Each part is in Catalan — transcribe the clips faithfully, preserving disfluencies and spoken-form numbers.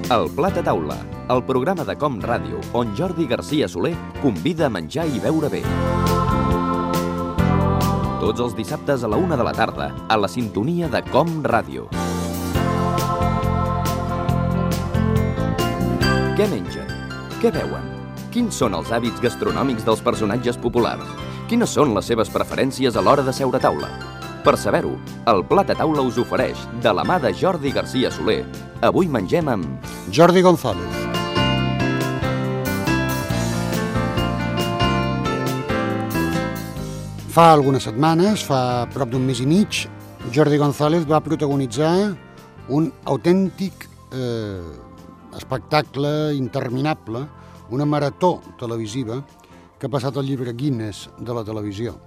El Plat a Taula, el programa de Com Ràdio, on Jordi Garcia Soler convida a menjar i beure bé. Tots els dissabtes a la una de la tarda, a la sintonia de Com Ràdio. Què mengen? Què beuen? Quins són els hàbits gastronòmics dels personatges populars? Quines són les seves preferències a l'hora de seure a taula? Per saber-ho, el Plat a Taula us ofereix, de la mà de Jordi Garcia Soler, avui mengem amb... Jordi González. Fa algunes setmanes, fa prop d'un mes i mig, Jordi González va protagonitzar un autèntic eh, espectacle interminable, una marató televisiva que ha passat al llibre Guinness de la televisió.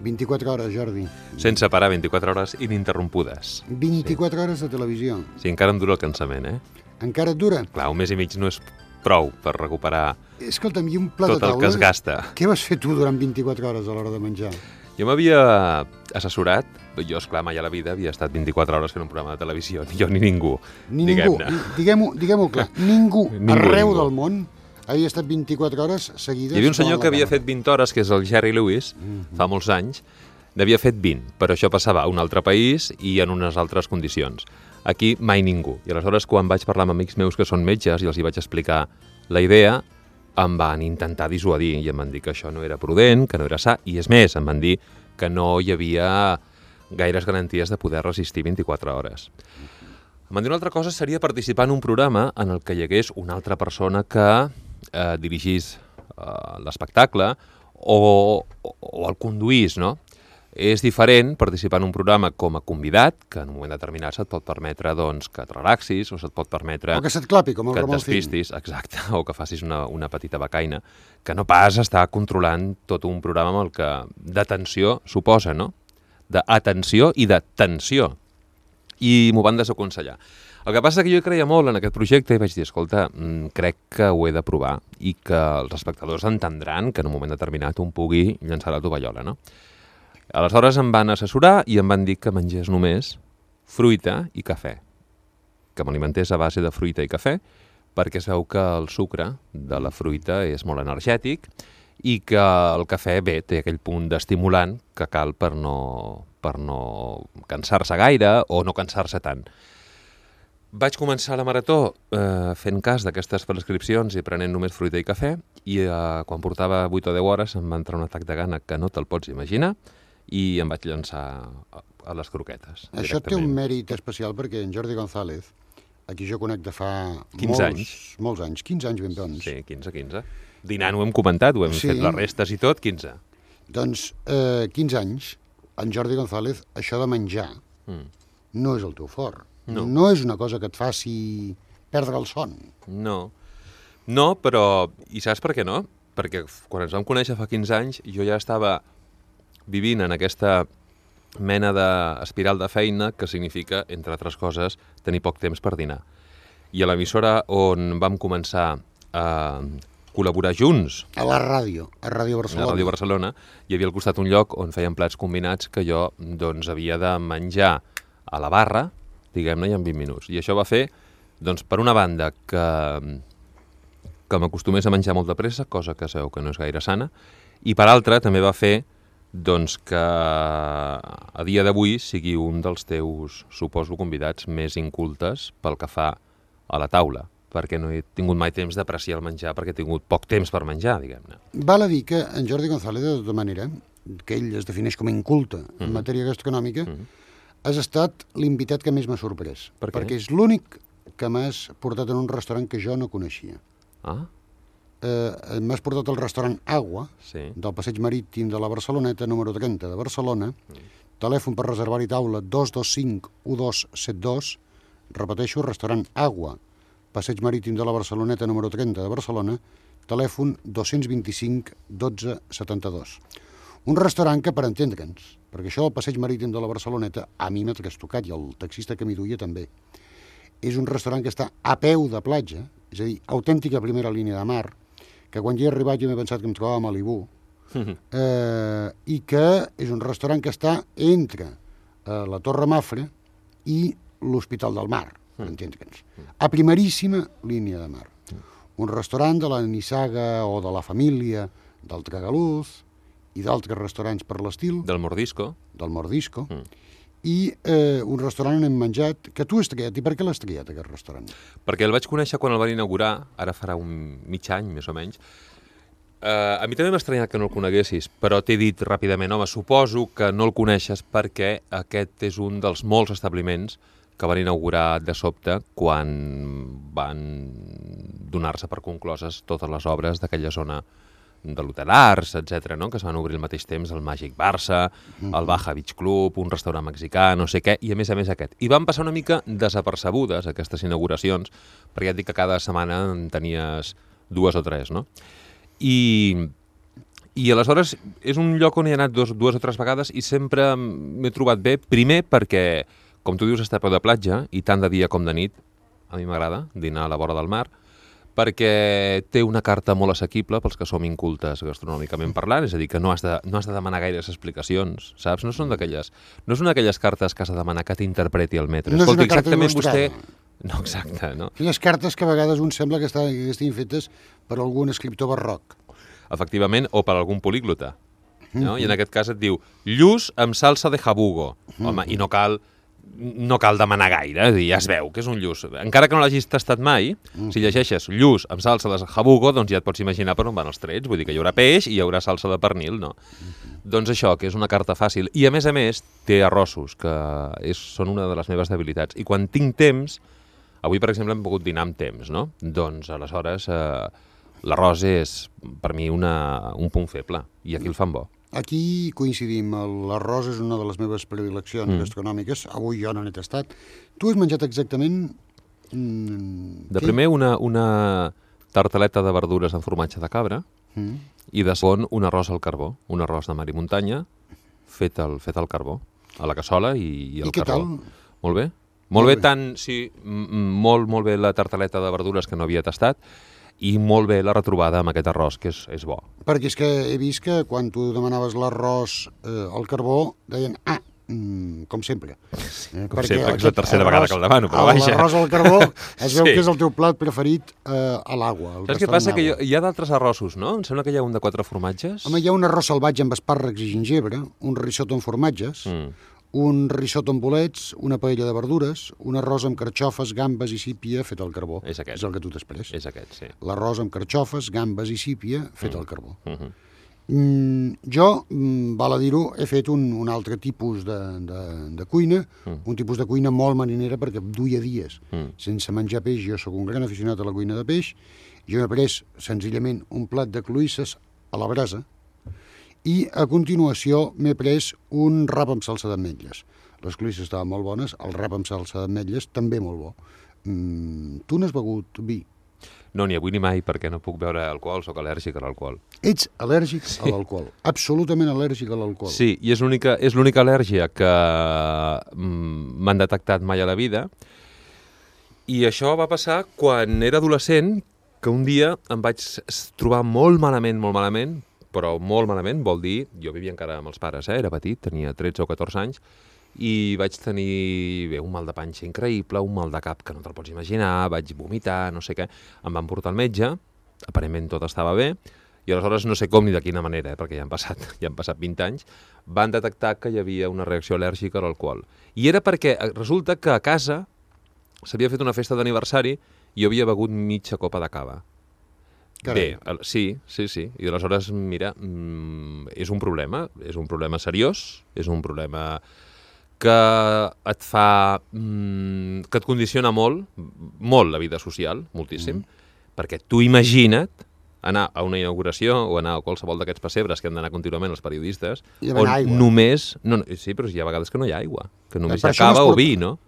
vint-i-quatre hores, Jordi. Sense parar, vint-i-quatre hores ininterrompudes. vint-i-quatre sí. hores de televisió. Sí, encara em dura el cansament, eh? Encara et dura? Clar, un mes i mig no és prou per recuperar Escolta'm, i un plat tot de taula, el que es gasta. Què vas fer tu durant vint-i-quatre hores a l'hora de menjar? Jo m'havia assessorat, jo, esclar, mai a la vida havia estat vint-i-quatre hores fent un programa de televisió, ni jo ni ningú, Ni ningú, diguem-ho diguem clar, ningú, ningú arreu ningú. del món havia estat vint-i-quatre hores seguides. Hi havia un senyor davant que la havia càmera. fet vint hores, que és el Jerry Lewis, Mm-hmm. fa molts anys, n'havia fet vint, però això passava a un altre país i en unes altres condicions. Aquí mai ningú. I aleshores, quan vaig parlar amb amics meus que són metges i els hi vaig explicar la idea, em van intentar dissuadir i em van dir que això no era prudent, que no era sa, i és més, em van dir que no hi havia gaires garanties de poder resistir vint-i-quatre hores. Em van dir una altra cosa seria participar en un programa en el que hi hagués una altra persona que eh, dirigís eh, l'espectacle o, o, o el conduís, no? És diferent participar en un programa com a convidat, que en un moment determinat se't pot permetre doncs, que et relaxis o se't pot permetre O que se't clapi, com el que et Ramon Finn. despistis, exacte, o que facis una, una petita becaina, que no pas estar controlant tot un programa amb el que d'atenció suposa, no? D'atenció i de tensió. I m'ho van desaconsellar. El que passa és que jo creia molt en aquest projecte i vaig dir, escolta, crec que ho he de provar i que els espectadors entendran que en un moment determinat un pugui llançar la tovallola, no? Aleshores em van assessorar i em van dir que mengés només fruita i cafè, que m'alimentés a base de fruita i cafè, perquè es veu que el sucre de la fruita és molt energètic i que el cafè, bé, té aquell punt d'estimulant que cal per no, per no cansar-se gaire o no cansar-se tant. Vaig començar la marató eh, fent cas d'aquestes prescripcions i prenent només fruita i cafè i eh, quan portava vuit o deu hores em va entrar un atac de gana que no te'l pots imaginar i em vaig llançar a, a les croquetes. Això té un mèrit especial perquè en Jordi González, a qui jo conec de fa quinze molts anys. molts anys, quinze anys ben bons. Sí, quinze, quinze. Dinant ho hem comentat, ho hem Sí. fet les restes i tot, quinze. Doncs eh, quinze anys, en Jordi González, això de menjar Mm. no és el teu fort. No. no és una cosa que et faci perdre el son. No, no, però... I saps per què no? Perquè quan ens vam conèixer fa quinze anys, jo ja estava vivint en aquesta mena d'espiral de feina que significa, entre altres coses, tenir poc temps per dinar. I a l'emissora on vam començar a col·laborar junts, A la ràdio, a Ràdio Barcelona. a Ràdio Barcelona, hi havia al costat un lloc on feien plats combinats que jo doncs, havia de menjar a la barra, diguem-ne, i en vint minuts. I això va fer, doncs, per una banda, que, que m'acostumés a menjar molt de pressa, cosa que sabeu que no és gaire sana, i per altra també va fer doncs, que a dia d'avui sigui un dels teus, suposo, convidats més incultes pel que fa a la taula, perquè no he tingut mai temps d'apreciar el menjar, perquè he tingut poc temps per menjar, diguem-ne. Val a dir que en Jordi González, de tota manera, que ell es defineix com a inculte en Mhm. matèria gastronòmica, Mhm. has estat l'invitat que més m'ha sorprès. Per què? Perquè és l'únic que m'has portat en un restaurant que jo no coneixia. Ah, Eh, m'has portat al restaurant Agua, sí. del Passeig Marítim de la Barceloneta, número trenta de Barcelona, Mm. telèfon per reservar-hi taula dos dos cinc un dos set dos, repeteixo, restaurant Agua, Passeig Marítim de la Barceloneta, número trenta de Barcelona, telèfon dos dos cinc dotze setanta-dos. Un restaurant que, per entendre'ns, perquè això del Passeig Marítim de la Barceloneta a mi m'ha trastocat i el taxista que m'hi duia també, és un restaurant que està a peu de platja, és a dir, autèntica primera línia de mar, que quan hi he arribat jo m'he pensat que em trobava a Malibú, eh, i que és un restaurant que està entre eh, la Torre Mafra i l'Hospital del Mar. per entendre'ns. A primeríssima línia de mar. Un restaurant de la Nissaga o de la família del Tragaluz i d'altres restaurants per l'estil. Del Mordisco. Del Mordisco. Mm. I eh, un restaurant on hem menjat, que tu has triat. I per què l'has triat, aquest restaurant? Perquè el vaig conèixer quan el van inaugurar, ara farà un mig any, més o menys. Uh, a mi també m'ha estranyat que no el coneguessis, però t'he dit ràpidament, home, suposo que no el coneixes perquè aquest és un dels molts establiments que van inaugurar de sobte quan van donar-se per concloses totes les obres d'aquella zona de l'Hotel Arts, etcètera, no? Que es van obrir al mateix temps el Màgic Barça, el Baja Beach Club, un restaurant mexicà, no sé què, i a més a més aquest. I van passar una mica desapercebudes aquestes inauguracions, perquè ja et dic que cada setmana en tenies dues o tres, no? I, i aleshores és un lloc on he anat dos, dues o tres vegades i sempre m'he trobat bé, primer perquè, com tu dius, està a peu de platja i tant de dia com de nit, a mi m'agrada dinar a la vora del mar, perquè té una carta molt assequible pels que som incultes gastronòmicament parlant, és a dir, que no has de, no has de demanar gaires explicacions, saps? No són d'aquelles, no són d'aquelles cartes que has de demanar que t'interpreti el metre. No és Escolti, una carta exactament il·lustrada. vostè... No, exacte, no? Aquelles cartes que a vegades un sembla que estiguin fetes per algun escriptor barroc. Efectivament, o per algun políglota. No? I en aquest cas et diu lluç amb salsa de jabugo. Home, i no cal, no cal demanar gaire, és dir, ja es veu que és un lluç. Encara que no l'hagis tastat mai, si llegeixes lluç amb salsa de jabugo, doncs ja et pots imaginar per on van els trets. Vull dir que hi haurà peix i hi haurà salsa de pernil, no? Doncs això, que és una carta fàcil. I a més a més té arrossos, que és, són una de les meves debilitats. I quan tinc temps, avui per exemple hem pogut dinar amb temps, no? Doncs aleshores eh, l'arròs és per mi una, un punt feble i aquí el fan bo. Aquí coincidim, l'arròs és una de les meves predileccions mm. gastronòmiques, avui jo no n'he tastat. Tu has menjat exactament... Mm, de primer una, una tartaleta de verdures amb formatge de cabra mm. i de segon un arròs al carbó, un arròs de mar i muntanya fet al, fet al carbó, a la cassola i, i al I què carbó. tal? Molt bé. Molt bé, tant, sí, molt, molt bé la tartaleta de verdures que no havia tastat i molt bé la retrobada amb aquest arròs, que és, és bo. Perquè és que he vist que quan tu demanaves l'arròs eh, al carbó, deien, ah, mm, com sempre. Eh, com sempre, que és la tercera vegada que el demano, però vaja. L'arròs al carbó es veu sí. que és el teu plat preferit eh, a l'aigua. Saps què passa? Que hi ha d'altres arrossos, no? Em sembla que hi ha un de quatre formatges. Home, hi ha un arròs salvatge amb espàrrecs i gingebre, un risotto amb formatges, mm. un risotto amb bolets, una paella de verdures, un arròs amb carxofes, gambes i sípia fet al carbó. És aquest. És el que tu t'has pres. És aquest, sí. L'arròs amb carxofes, gambes i sípia fet mm. al carbó. Mm -hmm. mm, jo, mm, val a dir-ho, he fet un, un altre tipus de, de, de cuina, mm. un tipus de cuina molt marinera perquè duia dies mm. sense menjar peix. Jo sóc un gran aficionat a la cuina de peix. Jo he pres senzillament un plat de cloïsses a la brasa, i a continuació m'he pres un rap amb salsa d'ametlles. Les cloïsses estaven molt bones, el rap amb salsa d'ametlles també molt bo. Mm, tu n'has begut vi? No, ni avui ni mai, perquè no puc beure alcohol, sóc al·lèrgic a l'alcohol. Ets al·lèrgic sí. a l'alcohol, absolutament al·lèrgic a l'alcohol. Sí, i és l'única és l'única al·lèrgia que mm, m'han detectat mai a la vida. I això va passar quan era adolescent, que un dia em vaig trobar molt malament, molt malament, però molt malament, vol dir, jo vivia encara amb els pares, eh? Era petit, tenia tretze o catorze anys, i vaig tenir bé, un mal de panxa increïble, un mal de cap que no te'l pots imaginar, vaig vomitar, no sé què, em van portar al metge, aparentment tot estava bé, i aleshores no sé com ni de quina manera, eh? Perquè ja han passat, ja han passat vint anys, van detectar que hi havia una reacció al·lèrgica a l'alcohol. I era perquè resulta que a casa s'havia fet una festa d'aniversari i jo havia begut mitja copa de cava. Carai. Bé, sí, sí, sí. I aleshores, mira, mm, és un problema, és un problema seriós, és un problema que et fa, mm, que et condiciona molt, molt la vida social, moltíssim, mm. perquè tu imagina't anar a una inauguració o anar a qualsevol d'aquests pessebres que han d'anar contínuament els periodistes, on aigua. només... No, no, sí, però hi ha vegades que no hi ha aigua, que només hi ha cava o vi, no?